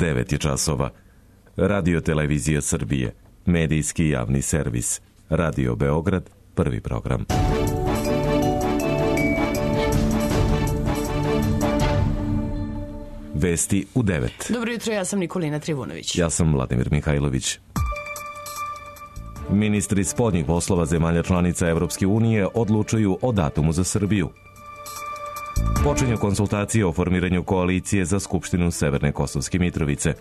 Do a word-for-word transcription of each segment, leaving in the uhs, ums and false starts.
devet je časova. Radio Televizija Srbije, medijski javni servis. Radio Beograd, prvi program. Vesti u devet. Dobro jutro, ja sam Nikolina Trivunović. Ja sam Vladimir Mihajlović. Ministri spoljnih poslova zemalja članica Evropske unije odlučuju o datumu za Srbiju. Počinju konsultacije o formiranju koalicije za Skupštinu Severne Kosovske Mitrovice.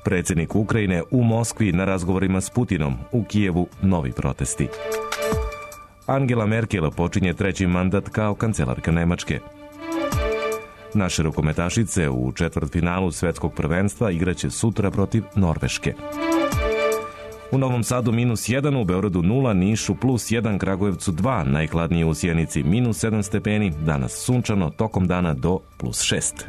Predsjednik Ukrajine u Moskvi na razgovorima s Putinom, u Kijevu novi protesti. Angela Merkel počinje treći mandat kao kancelarka Nemačke. Naše rukometašice u četvrtfinalu svetskog prvenstva igraće sutra protiv Norveške. U Novom Sadu minus jedan, u Beogradu nula, Nišu plus jedan, Kragujevcu dva, najhladnije u Sjenici minus sedam stepeni, danas sunčano, tokom dana do plus šest.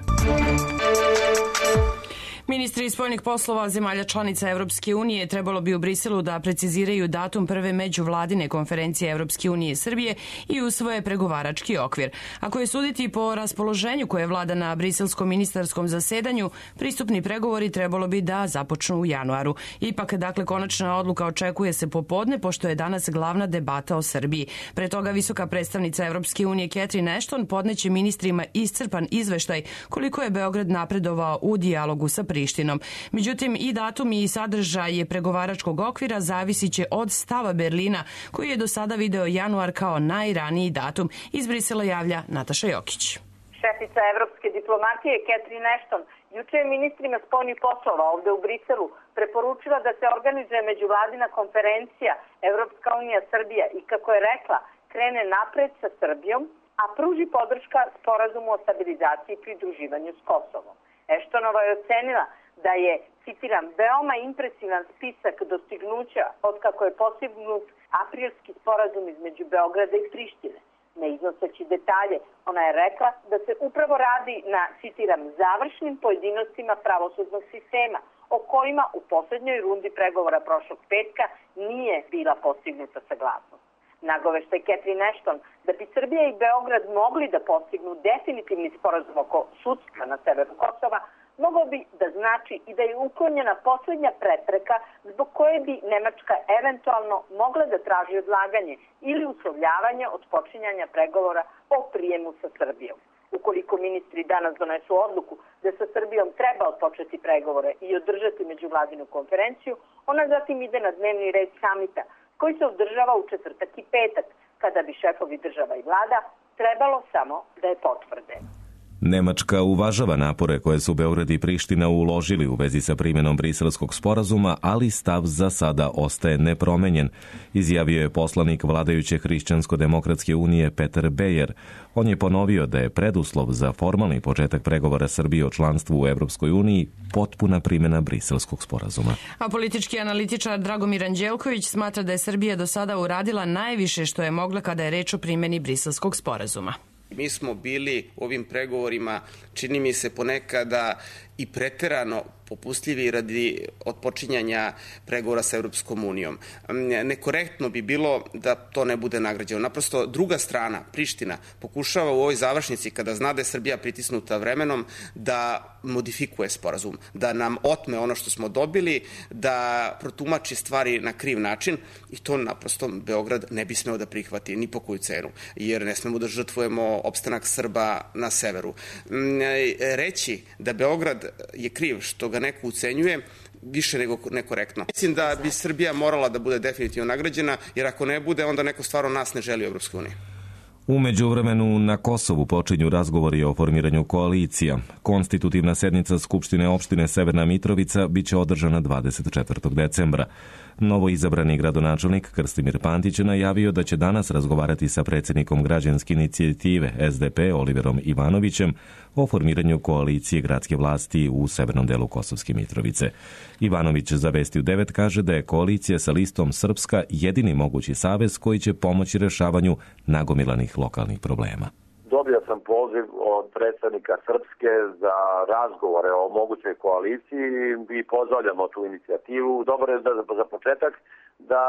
Ministri spoljnih poslova zemalja članica Evropske unije trebalo bi u Briselu da preciziraju datum prve međuvladine konferencije Evropske unije i Srbije i usvoje pregovarački okvir. Ako je suditi po raspoloženju koje vlada na briselskom ministarskom zasedanju, pristupni pregovori trebalo bi da započnu u januaru. Ipak, dakle, konačna odluka očekuje se popodne, pošto je danas glavna debata o Srbiji. Pre toga visoka predstavnica Evropske unije Catherine Ashton podneće ministrima iscrpan izveštaj koliko je Beograd napredovao u dijalogu sa Prištinom. Međutim, i datum i sadržaj pregovaračkog okvira zavisit će od stava Berlina, koji je do sada video januar kao najraniji datum. Iz Brisela javlja Nataša Jokić. Šefica evropske diplomatije Catherine Ashton juče je ministrima spoljnih poslova ovde u Briselu preporučila da se organizuje međuvladina konferencija Evropska unija Srbija i, kako je rekla, krene napred sa Srbijom, a pruži podrška sporazumu o stabilizaciji i pridruživanju s Kosovom. Eštonova je ocenila da je, citiram, veoma impresivan spisak dostignuća od kako je postignut aprilski sporazum između Beograda i Prištine. Ne iznoseći detalje, ona je rekla da se upravo radi na, citiram, završnim pojedinostima pravosudnog sistema, o kojima u posljednjoj rundi pregovora prošlog petka nije bila postignuta saglasnost. Nagoveštaj Catherine Ashton da bi Srbija i Beograd mogli da postignu definitivni sporazum oko sudstva na severu Kosova, mogao bi da znači i da je uklonjena posljednja prepreka zbog koje bi Nemačka eventualno mogla da traži odlaganje ili uslovljavanje od počinjanja pregovora o prijemu sa Srbijom. Ukoliko ministri danas donesu odluku da sa Srbijom treba odpočeti pregovore i održati međuvladinu konferenciju, ona zatim ide na dnevni red samita, koji se održava u četvrtak i petak, kada bi šefovi država i vlada trebalo samo da je potvrde. Nemačka uvažava napore koje su Beograd i Priština uložili u vezi sa primjenom briselskog sporazuma, ali stav za sada ostaje nepromenjen, izjavio je poslanik vladajuće Hrišćansko-demokratske unije Peter Beyer. On je ponovio da je preduslov za formalni početak pregovora Srbije o članstvu u Evropskoj uniji potpuna primjena briselskog sporazuma. A politički analitičar Dragomir Anđelković smatra da je Srbija do sada uradila najviše što je mogla kada je reč o primjeni briselskog sporazuma. Mi smo bili u ovim pregovorima, čini mi se ponekada i preterano popustljivi radi odpočinjanja pregovora sa Evropskom unijom. Nekorektno bi bilo da to ne bude nagrađeno. Naprosto druga strana, Priština, pokušava u ovoj završnici, kada zna da je Srbija pritisnuta vremenom, da modifikuje sporazum, da nam otme ono što smo dobili, da protumači stvari na kriv način i to naprosto Beograd ne bi smeo da prihvati ni po koju cenu, jer ne smemo da žrtvujemo opstanak Srba na severu. Reći da Beograd je kriv što ga neko ucenjuje, više nego nekorektno. Mislim da bi Srbija morala da bude definitivno nagrađena, jer ako ne bude, onda neko stvarno nas ne želi u Evropskoj uniji. U međuvremenu na Kosovu počinju razgovori o formiranju koalicija. Konstitutivna sednica Skupštine opštine Severna Mitrovica biće održana dvadeset četvrtog decembra. Novo izabrani gradonačelnik Krstimir Pantić najavio da će danas razgovarati sa predsjednikom građanske inicijative S D P Oliverom Ivanovićem o formiranju koalicije gradske vlasti u severnom delu Kosovske Mitrovice. Ivanović za Vesti u devet kaže da je koalicija sa listom Srpska jedini mogući savez koji će pomoći rešavanju nagomilanih lokalnih problema. Dobio sam poziv od predstavnika Srpske za razgovore o mogućoj koaliciji i pozdravljamo tu inicijativu. Dobro je da za početak da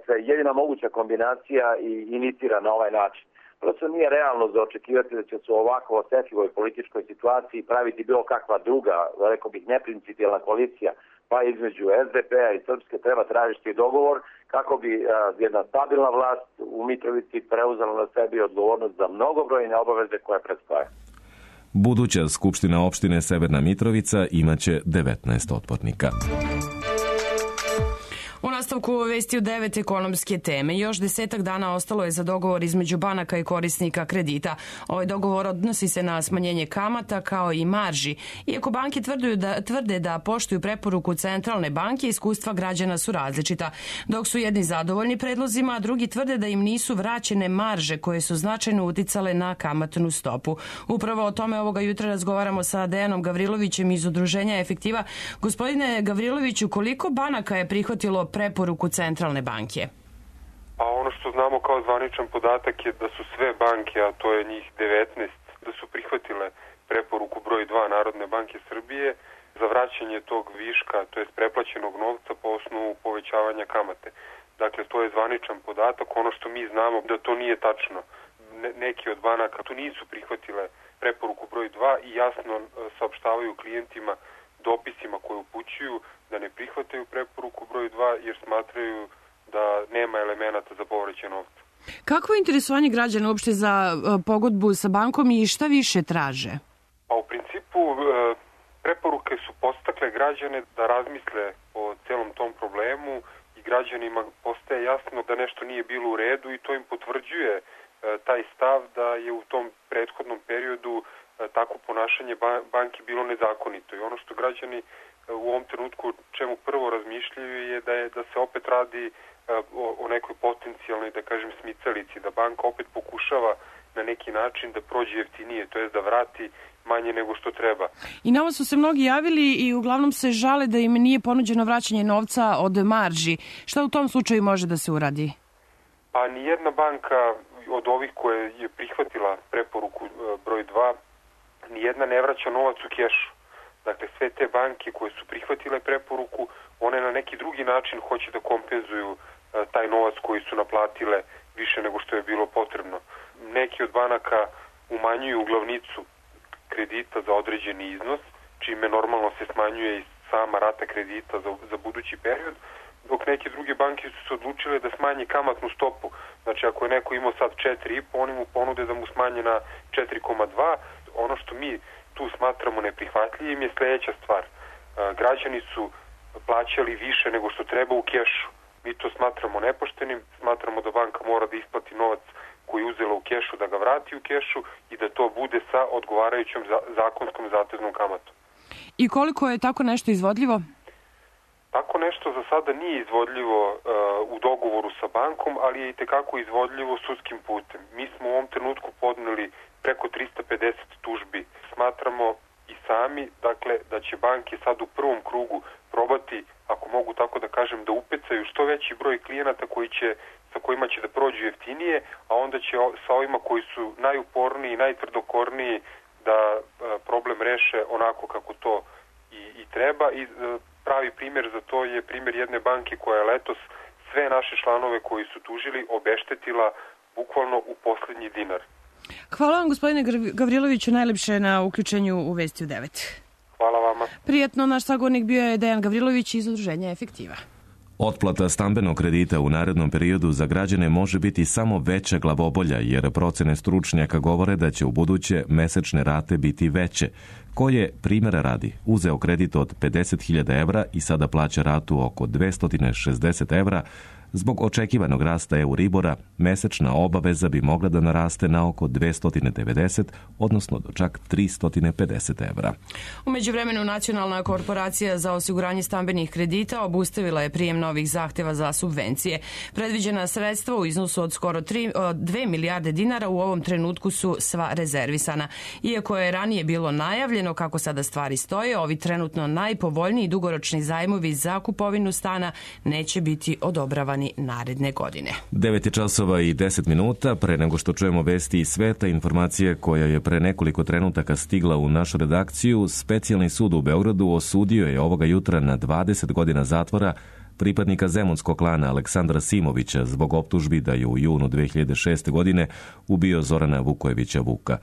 se jedina moguća kombinacija i inicira na ovaj način. prosto nije realno za očekivati da će se u ovako osetljivoj političkoj situaciji praviti bilo kakva druga, rekao bih, neprincipijelna koalicija, pa između es de pe a i Srpske treba tražiti dogovor kako bi a, jedna stabilna vlast u Mitrovici preuzela na sebi odgovornost za mnogobrojne obaveze koje predstoje. Buduća Skupština opštine Severna Mitrovica imaće devetnaest odbornika. U nastavku vesti u devet ekonomske teme. Još desetak dana ostalo je za dogovor između banaka i korisnika kredita. Ovaj dogovor odnosi se na smanjenje kamata kao i marži. Iako banke tvrde da, tvrde da poštuju preporuku Centralne banke, iskustva građana su različita. Dok su jedni zadovoljni predlozima, a drugi tvrde da im nisu vraćene marže koje su značajno uticale na kamatnu stopu. Upravo o tome ovoga jutra razgovaramo sa Dejanom Gavrilovićem iz Udruženja Efektiva. Gospodine Gavriloviću, koliko banaka je prihvatilo preporuku Centralne banke? Pa ono što znamo kao zvaničan podatak je da su sve banke, a to je njih devetnaest, da su prihvatile preporuku broj dva Narodne banke Srbije za vraćanje tog viška, to jest preplaćenog novca po osnovu povećavanja kamate. Dakle, to je zvaničan podatak. Ono što mi znamo da to nije tačno. Ne, neki od banaka tu nisu prihvatile preporuku broj dva i jasno saopštavaju klijentima dopisima koje upućuju da ne prihvataju preporuku broj dva jer smatraju da nema elemenata za povraćaj novca. Kakvo je interesovanje građana uopšte za pogodbu sa bankom i šta više traže? Pa u principu preporuke su podstakle građane da razmisle o celom tom problemu i građanima postaje jasno da nešto nije bilo u redu i to im potvrđuje taj stav da je u tom prethodnom periodu tako ponašanje banki bilo nezakonito. I ono što građani u ovom trenutku čemu prvo razmišljaju je da, je, da se opet radi o, o nekoj potencijalnoj, da kažem, smicalici, da banka opet pokušava na neki način da prođe jeftinije, to je da vrati manje nego što treba. I nama su se mnogi javili i uglavnom se žale da im nije ponuđeno vraćanje novca od marži. Šta u tom slučaju može da se uradi? Pa nijedna banka od ovih koje je prihvatila preporuku broj dva, nijedna ne vraća novac u kešu. Dakle, sve te banke koje su prihvatile preporuku, one na neki drugi način hoće da kompenzuju e, taj novac koji su naplatile više nego što je bilo potrebno. Neki od banaka umanjuju glavnicu kredita za određeni iznos, čime normalno se smanjuje i sama rata kredita za, za budući period, dok neke druge banke su se odlučile da smanje kamatnu stopu. Znači, ako je neko imao sad četiri zarez pet, oni mu ponude da mu smanje na četiri zarez dva. Ono što mi tu smatramo neprihvatljivim je sljedeća stvar. Građani su plaćali više nego što treba u kešu. Mi to smatramo nepoštenim, smatramo da banka mora da isplati novac koji je uzela u kešu, da ga vrati u kešu i da to bude sa odgovarajućom zakonskom zateznom kamatom. I koliko je tako nešto izvodljivo? Tako nešto za sada nije izvodljivo uh, u dogovoru sa bankom, ali je i tekako izvodljivo sudskim putem. Mi smo u ovom trenutku podneli preko trista pedeset tužbi. Smatramo i sami, dakle, da će banke sad u prvom krugu probati, ako mogu tako da kažem, da upecaju što veći broj klijenata koji će, sa kojima će da prođu jeftinije, a onda će sa ovima koji su najuporniji i najtvrdokorniji da uh, problem reše onako kako to i, i treba. I uh, pravi primjer za to je primjer jedne banke koja je letos sve naše članove koji su tužili obeštetila bukvalno u poslednji dinar. Hvala vam, gospodine Gavriloviću, najlepše na uključenju u Vesti u devet. Hvala vama. Prijetno, naš sagovornik bio je Dejan Gavrilović iz Udruženja Efektiva. Otplata stambenog kredita u narednom periodu za građane može biti samo veća glavobolja, jer procene stručnjaka govore da će u buduće mesečne rate biti veće. Ko je, primjera radi, uzeo kredit od pedeset hiljada evra i sada plaća ratu oko dvesta šezdeset evra, zbog očekivanog rasta Euribora, mesečna obaveza bi mogla da naraste na oko dvesta devedeset, odnosno do čak trista pedeset evra. U međuvremenu, Nacionalna korporacija za osiguranje stambenih kredita obustavila je prijem novih zahteva za subvencije. Predviđena sredstva u iznosu od skoro dve milijarde dinara u ovom trenutku su sva rezervisana. Iako je ranije bilo najavljeno kako sada stvari stoje, ovi trenutno najpovoljniji dugoročni zajmovi za kupovinu stana neće biti odobravani naredne godine. devet časova i deset minuta. Pre nego što čujemo vesti iz sveta, informacija koja je pre nekoliko trenutaka stigla u našu redakciju, Specijalni sud u Beogradu osudio je ovoga jutra na dvadeset godina zatvora pripadnika zemunskog klana Aleksandra Simovića zbog optužbi da je u junu dve hiljade šeste. godine ubio Zorana Vukojevića Vuka.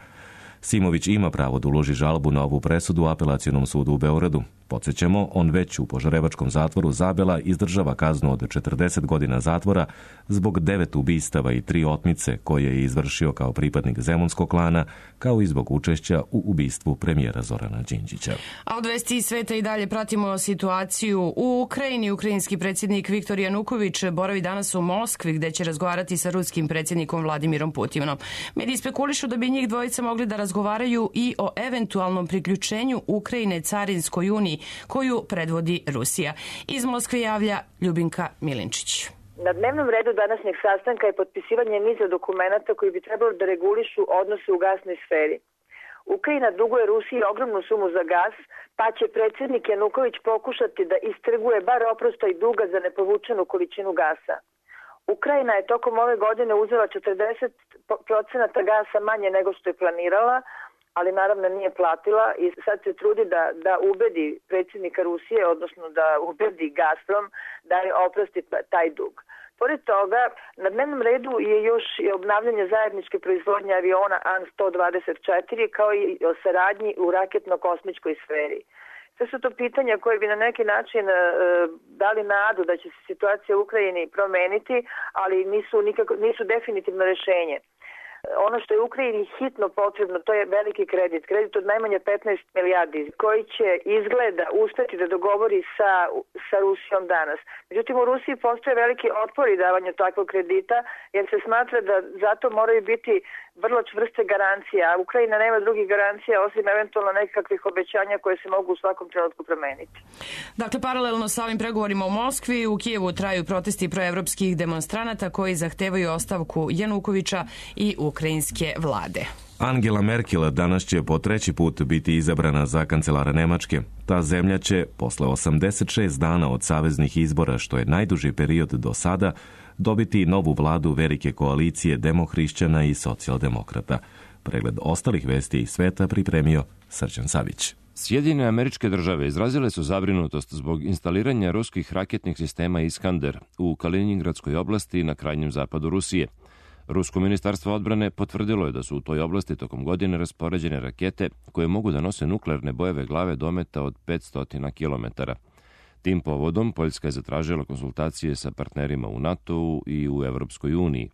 Simović ima pravo da uloži žalbu na ovu presudu u Apelacionom sudu u Beogradu. Podsjećamo, on već u Požarevačkom zatvoru Zabela izdržava kaznu od četrdeset godina zatvora zbog devet ubistava i tri otmice koje je izvršio kao pripadnik zemunskog klana, kao i zbog učešća u ubistvu premijera Zorana Đinđića. A od vesti iz sveta i dalje pratimo situaciju u Ukrajini. Ukrajinski predsjednik Viktor Januković boravi danas u Moskvi gde će razgovarati sa ruskim predsjednikom Vladimirom Putinom. Mediji spekulišu da bi njih dvojica mogli da razgovaraju i o eventualnom priključenju Ukrajine Carinskoj uniji koju predvodi Rusija. Iz Moskve javlja Ljubinka Milinčić. Na dnevnom redu današnjeg sastanka je potpisivanje niza dokumenata koji bi trebalo da regulišu odnose u gasnoj sferi. Ukrajina duguje Rusiji ogromnu sumu za gas, pa će predsjednik Januković pokušati da istrguje bar oprostaj duga za nepovučenu količinu gasa. Ukrajina je tokom ove godine uzela četrdeset procenata gasa manje nego što je planirala, ali naravno nije platila i sad se trudi da, da ubedi predsjednika Rusije, odnosno da ubedi Gazprom da je oprosti taj dug. Pored toga, na dnevnom redu je još i obnavljanje zajedničke proizvodnje aviona An sto dvadeset četiri kao i o saradnji u raketno-kosmičkoj sferi. Sve su to pitanja koje bi na neki način e, dali nadu da će se situacija u Ukrajini promeniti, ali nisu, nikako, nisu definitivno rješenje. Ono što je Ukrajini hitno potrebno, to je veliki kredit, kredit od najmanje petnaest milijardi, koji će izgleda uspjeti da dogovori sa, sa Rusijom danas. Međutim, u Rusiji postoje veliki otpor i davanju takvog kredita, jer se smatra da zato moraju biti vrlo čvrste garancije, a Ukrajina nema drugih garancija osim eventualno nekakvih obećanja koje se mogu u svakom trenutku promeniti. Dakle, paralelno sa ovim pregovorima u Moskvi, u Kijevu traju protesti proevropskih demonstranata koji zahtevaju ostavku Janukovića i ukrajinske vlade. Angela Merkel danas će po treći put biti izabrana za kancelara Nemačke. Ta zemlja će, posle osamdeset šest dana od saveznih izbora, što je najduži period do sada, dobiti novu vladu velike koalicije demohrišćana i socijaldemokrata. Pregled ostalih vesti iz sveta pripremio Srđan Savić. Sjedinjene Američke Države izrazile su zabrinutost zbog instaliranja ruskih raketnih sistema Iskander u Kaliningradskoj oblasti na krajnjem zapadu Rusije. Rusko ministarstvo odbrane potvrdilo je da su u toj oblasti tokom godine raspoređene rakete koje mogu da nose nuklearne bojeve glave dometa od petsto kilometara. Tim povodom Poljska je zatražila konsultacije sa partnerima u NATO-u i u Evropskoj uniji.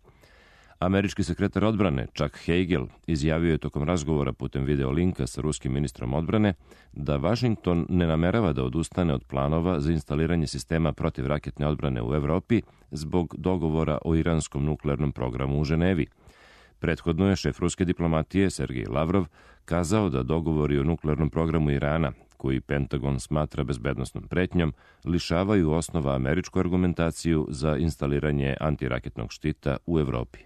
Američki sekretar odbrane Chuck Hagel izjavio je tokom razgovora putem videolinka sa ruskim ministrom odbrane da Washington ne namerava da odustane od planova za instaliranje sistema protivraketne odbrane u Evropi zbog dogovora o iranskom nuklearnom programu u Ženevi. Prethodno je šef ruske diplomatije Sergej Lavrov kazao da dogovori o nuklearnom programu Irana, koji Pentagon smatra bezbednosnom pretnjom, lišavaju osnova američku argumentaciju za instaliranje antiraketnog štita u Evropi.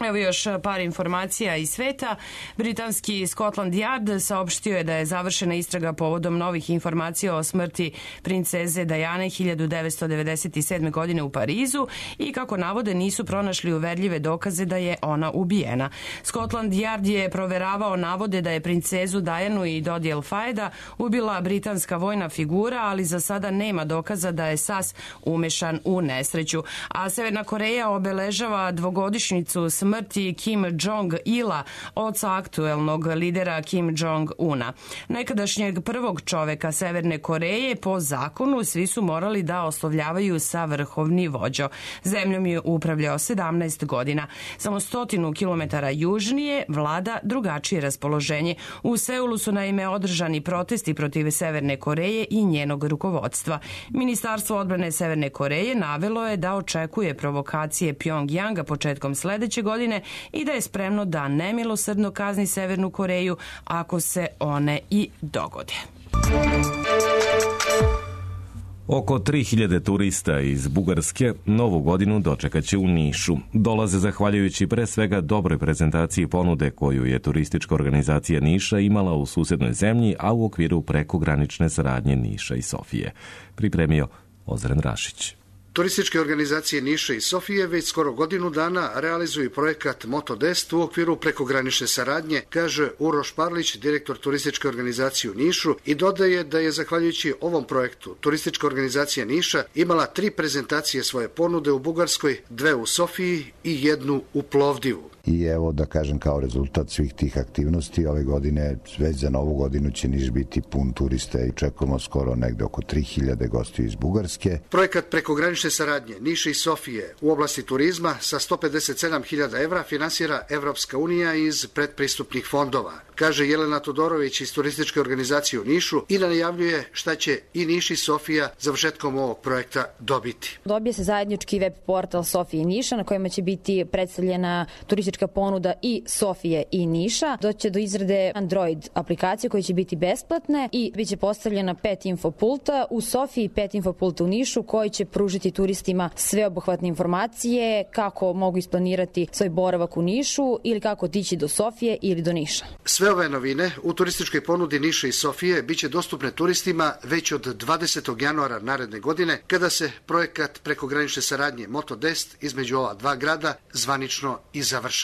Evo još par informacija iz sveta. Britanski Scotland Yard saopštio je da je završena istraga povodom novih informacija o smrti princeze Diane hiljadu devetsto devedeset sedme. godine u Parizu i kako navode nisu pronašli uverljive dokaze da je ona ubijena. Scotland Yard je proveravao navode da je princezu Dianu i Dodiel Fajeda ubila britanska vojna figura, ali za sada nema dokaza da je S A S umešan u nesreću. A Severna Koreja obeležava dvogodišnjicu smrti smrti Kim Jong-ila, oca aktuelnog lidera Kim Jong-una. Nekadašnjeg prvog čoveka Severne Koreje, po zakonu svi su morali da oslovljavaju sa vrhovni vođo. Zemljom je upravljao sedamnaest godina. Samo stotinu kilometara južnije vlada drugačije raspoloženje. U Seulu su naime održani protesti protiv Severne Koreje i njenog rukovodstva. Ministarstvo odbrane Severne Koreje navelo je da očekuje provokacije Pjongjanga početkom sledeće godine i da je spremno da nemilosrdno kazni Severnu Koreju ako se one i dogode. Oko tri hiljade turista iz Bugarske novu godinu dočekaće u Nišu. Dolaze zahvaljujući pre svega dobroj prezentaciji ponude koju je turistička organizacija Niša imala u susednoj zemlji, a u okviru prekogranične saradnje Niša i Sofije. Pripremio Ozren Rašić. Turističke organizacije Niša i Sofije već skoro godinu dana realizuju projekat Motodest u okviru prekogranične saradnje, kaže Uroš Parlić, direktor turističke organizacije u Nišu, i dodaje da je zahvaljujući ovom projektu turistička organizacija Niša imala tri prezentacije svoje ponude u Bugarskoj, dve u Sofiji i jednu u Plovdivu. I evo da kažem kao rezultat svih tih aktivnosti ove godine, već za novu godinu će Niš biti pun turista i čekamo skoro negde oko tri hiljade gostiju iz Bugarske. Projekat prekogranične saradnje Niša i Sofije u oblasti turizma sa sto pedeset sedam hiljada evra finansira Evropska unija iz predpristupnih fondova, kaže Jelena Todorović iz turističke organizacije u Nišu i najavljuje šta će i Niš i Sofija završetkom ovog projekta dobiti. Dobije se zajednički web portal Sofije i Niša na kojima će biti predstavljena turistička ponuda i Sofije i Niša. Doće do izrade Android aplikacije koje će biti besplatne i bit će postavljena pet infopulta u Sofiji i pet infopulta u Nišu koji će pružiti turistima sveobuhvatne informacije kako mogu isplanirati svoj boravak u Nišu ili kako otići do Sofije ili do Niša. Sve ove novine u turističkoj ponudi Niša i Sofije biće dostupne turistima već od dvadesetog januara naredne godine, kada se projekat prekogranične saradnje Motodest između ova dva grada zvanično i završava.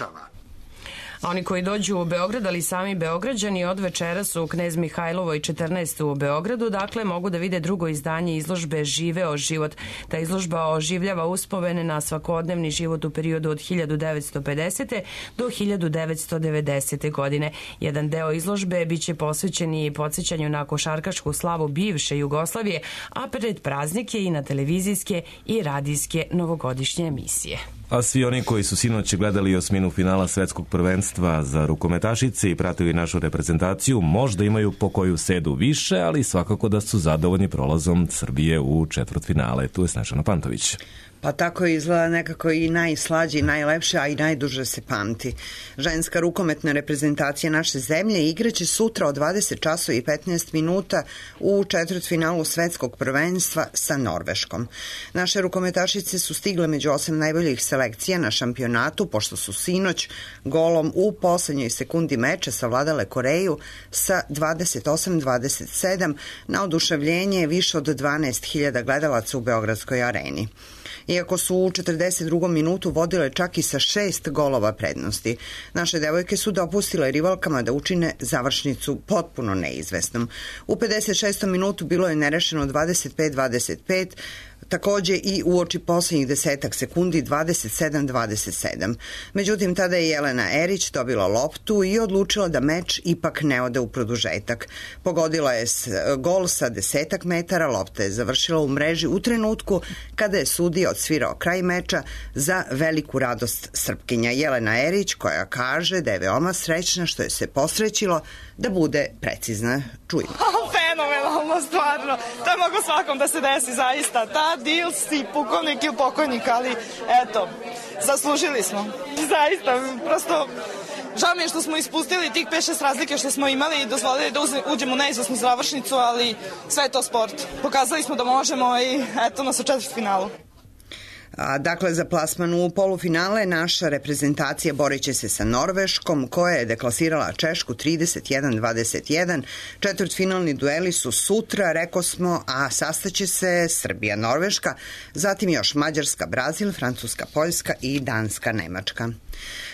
A oni koji dođu u Beograd, ali sami Beograđani, od večeras u Knez Mihajlovoj četrnaest u Beogradu, dakle mogu da vide drugo izdanje izložbe Živeo život. Ta izložba oživljava uspomene na svakodnevni život u periodu od hiljadu devetsto pedesete. do hiljadu devetsto devedesete. godine. Jedan deo izložbe biće posvećen i podsjećanju na košarkašku slavu bivše Jugoslavije, a pred praznike i na televizijske i radijske novogodišnje emisije. A svi oni koji su sinoć gledali osminu finala svetskog prvenstva za rukometašice i pratili našu reprezentaciju možda imaju po koju sedu više, ali svakako da su zadovoljni prolazom Srbije u četvrtfinale. Tu je Snežana Pantović. Pa tako izgleda nekako i najslađe i najlepše, a i najduže se pamti. Ženska rukometna reprezentacija naše zemlje igraće sutra od dvadeset časova i petnaest minuta u četvrtfinalu svetskog prvenstva sa Norveškom. Naše rukometašice su stigle među osam najboljih selekcija na šampionatu, pošto su sinoć golom u poslednjoj sekundi meča savladale Koreju sa dvadeset osam dvadeset sedam na oduševljenje više od dvanaest hiljada gledalaca u Beogradskoj areni. Iako su u četrdeset drugom minutu vodile čak i sa šest golova prednosti, naše devojke su dopustile rivalkama da učine završnicu potpuno neizvesnom. U pedeset šestom minutu bilo je nerešeno dvadeset pet dvadeset pet, takođe i uoči poslednjih desetak sekundi dvadeset sedam dvadeset sedam. Međutim, tada je Jelena Erić dobila loptu i odlučila da meč ipak ne ode u produžetak. Pogodila je gol sa desetak metara, lopta je završila u mreži u trenutku kada je sudija odsvirao kraj meča za veliku radost Srpkinja. Jelena Erić, koja kaže da je veoma srećna što je se posrećilo da bude precizna. Čujemo. Fenomenalno, stvarno. To je mogo svakom da se desi, zaista. Ta dil si pukovnik ili pokojnik, ali eto, zaslužili smo. Zaista, prosto žao mi je što smo ispustili tih pet šest razlike što smo imali i dozvolili da uđemo u neizvesnu završnicu, ali sve je to sport. Pokazali smo da možemo i eto nas u četvrtfinalu. A, dakle, za plasman u polufinale naša reprezentacija borit će se sa Norveškom, koja je deklasirala Češku trideset jedan dvadeset jedan. Četvrtfinalni dueli su sutra, reko smo, a sastaće se Srbija-Norveška, zatim još Mađarska, Brazil, Francuska, Poljska i Danska, Nemačka.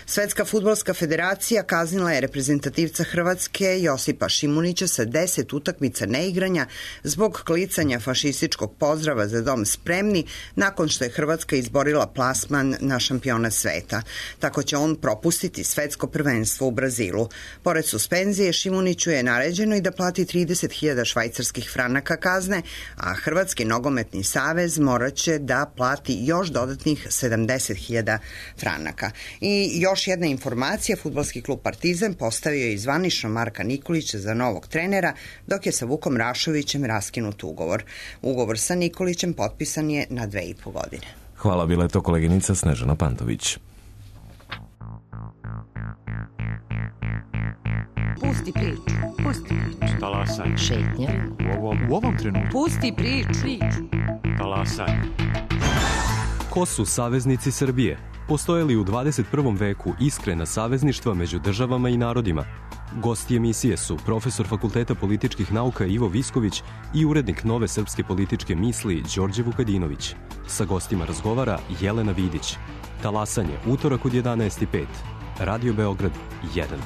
Svetska fudbalska federacija kaznila je reprezentativca Hrvatske Josipa Šimunića sa deset utakmica neigranja zbog klicanja fašističkog pozdrava za dom spremni nakon što je Hrvatska izborila plasman na šampionat sveta. Tako će on propustiti svetsko prvenstvo u Brazilu. Pored suspenzije, Šimuniću je naređeno i da plati trideset hiljada švajcarskih franaka kazne, a Hrvatski nogometni savez moraće da plati još dodatnih sedamdeset hiljada franaka. I još jedna informacija, fudbalski klub Partizan postavio je zvanično Marka Nikolića za novog trenera, dok je sa Vukom Rašovićem raskinut ugovor. Ugovor sa Nikolićem potpisan je na dve i po godine. Hvala, bila je to koleginica Snežana Pantović. Pusti priču, pusti priču. Talasaj. Šetnja. U ovom, u ovom trenutku. Pusti priču. Talasaj. Ko su saveznici Srbije? Postoje li u dvadeset prvom veku iskrena savezništva među državama i narodima? Gosti emisije su profesor Fakulteta političkih nauka Ivo Visković i urednik Nove srpske političke misli Đorđe Vukadinović. Sa gostima razgovara Jelena Vidić. Talasanje, utorak od jedanaest i pet. Radio Beograd jedan.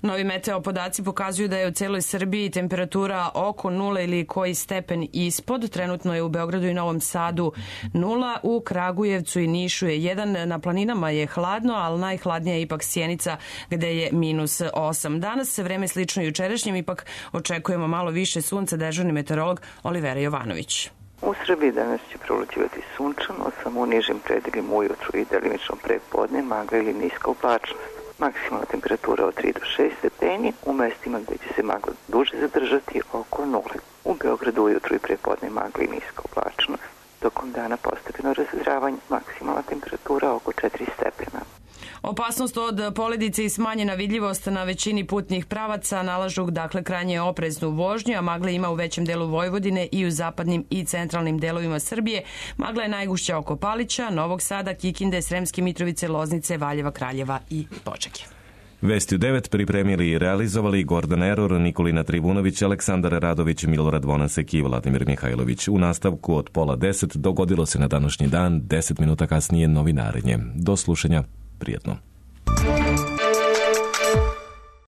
Novi meteo podaci pokazuju da je u celoj Srbiji temperatura oko nula ili koji stepen ispod. Trenutno je u Beogradu i Novom Sadu nula, u Kragujevcu i Nišu je jedan. Na planinama je hladno, ali najhladnija je ipak Sjenica gde je minus osam. Danas se vreme slično jučerašnjem, ipak očekujemo malo više sunca, dežurni meteorolog Olivera Jovanović. U Srbiji danas će prolučivati sunčano, samo u nižim predelima ujutru i delimično prepodne magla ili niska oblačnost. Maksimalna temperatura od tri do šest stepeni, u mestima gde će se magla duže zadržati oko nule. U Beogradu ujutru i prepodne magla i niska oblačnost, tokom dana postepeno razvedravanje, maksimalna temperatura oko četiri stepena. Opasnost od poledice i smanjena vidljivost na većini putnih pravaca nalažu dakle krajnje opreznu vožnju, a magla ima u većem delu Vojvodine i u zapadnim i centralnim delovima Srbije. Magla je najgušća oko Palića, Novog Sada, Kikinde, Sremske Mitrovice, Loznice, Valjeva, Kraljeva i Požege. Vesti u devet pripremili i realizovali Gordan Eror, Nikolina Trivunović, Aleksandar Radović, Milorad Vonasek i Vladimir Mihajlović. U nastavku od pola deset dogodilo se na današnji dan, deset minuta kasnije novinarenje. Do slušanja, prijatno.